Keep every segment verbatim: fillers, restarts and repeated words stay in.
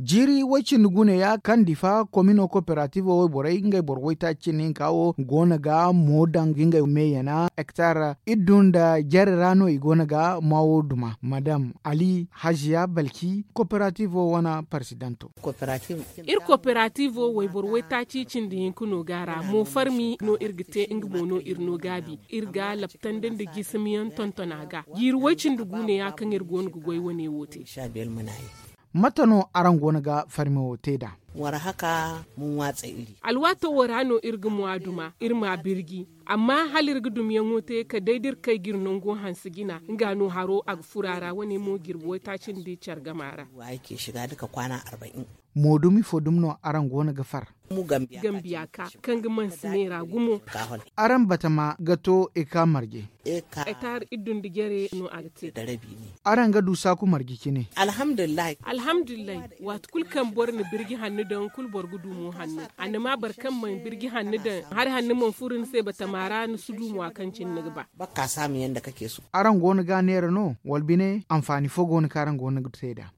Jiiri woy-cindi-guune ya kaŋ difa komino koperatiivo wayborey ngey boro waytaaci cindi hinka wo go no ga mo daŋ ga ngey meeyana hektar iddu nda jare ra no i go no ga maawo duma madam ali haziya balki koperatiivo wane parsidanto. Iri koperatiivo wayboro waytaaci cindi hinka no go a ra mo farmi no iri ga te nga mo no iri no gaabi. Iri ga laptandi nda jisimiyaŋ tonton a ga jiiri woy-cindi-guune ya kaŋ iri go no ga goy wane wo te. Mate no araŋ go no ga farme wo te nd'a? War haka mun watsa iri. Alwaato wo ra no iri ga mwa duma iri ma birji. Amma hala iri ga dumyaŋo te kala day da iri kay ga iri nango hanse jina nga no haro a ga furo a ra wane mo jirbi waytaaci nda care game a ra. Moodumi fo dumi no araŋ go no ga far? Gambiya ka kaŋ ga mansi neera gumo. Araŋ batama ga to eka marje? Etaar iddu nda jare no a ga te. Araŋ ga du saaku marje cine? Alhamdulillahi. Waati kulu kaŋ boro na birji hannu daŋ kulu boro ga du mo hannu. Annama boro kaŋ mana birji hannu daŋ hari hannu mana furo ni se batama ra ni si du mo a kaŋ cine ni ga ba. Araŋ go no ga a neera no wala bine anfaani fo go no kaŋ araŋ go no ga te nd'a?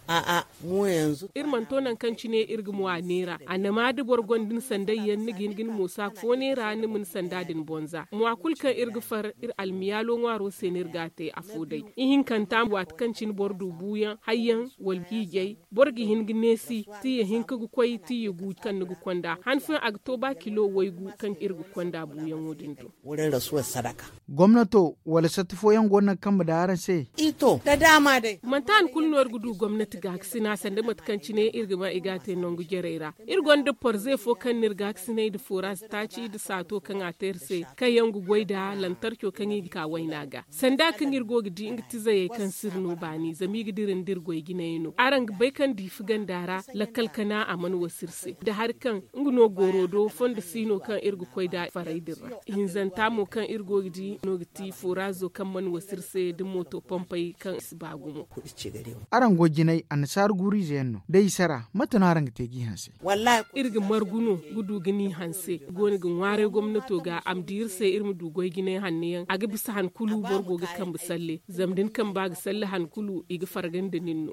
Iri mana to nangu kaŋ cine iri ga mwa neera annama da boro gonda ni sanday yaŋ ni ga hin ga ni moosa fo neera ni ma ni sanda din bonza mwa kulu kaŋ iri ga far iri almiyaalo ŋwaaro se no iri ga a te afo day. Ihinkanta waati kaŋ cine boro du buuyaŋ hayyaŋ wala hiijay boro ga hin ga neesi tiya hinka ga koy tiya gu kaŋ ni ga konda han fooyaŋ a ga to ba kilo waygu kaŋ iri ga konda buuyaŋo din do. Gomnato wala satti fooyaŋ go no ga kambe da araŋ se? Manti han kulu no iri ga du gomnati gaakasina sanda mate kaŋ cine iri ga ba i ga a te nangu jarey ra. Iri gonda porze fo kaŋ no iri gaakasinay nda fooraaz taaci nda saato kaŋ a te iri se kaŋ yaŋ ga goy nda lantarco kaŋ i ga ka wayna ga sanda kaŋ iri go ga di nga tizayey kaŋ si iri no baani zama i ga dira nda iri goy jinayey no araŋ ga bay kaŋ diifi ganda ra lakkal kana a mana wasa iri se nda hari kaŋ nga no goro do fondo si no kaŋ iri ga koy nda faray din ra. Hinzanta mo kaŋ iri go ga di no ga ti foraazo kaŋ mana wasa iri se da mooto pompey kaŋ i si ba gumo. Araŋ goy jinay annasaara guuru-ize yaŋ no da i sara mate no araŋ ga te g'i hanse? Iri ga margu no ga du ga ni hanse i go no ga ŋwaaray gomnato ga a ma di iri se iri ma du goy jinay hanno yaŋ a ga bisa han kulu boro go ga kambe salle zama da ni kamba ga salle han kulu i ga farga nda nin no.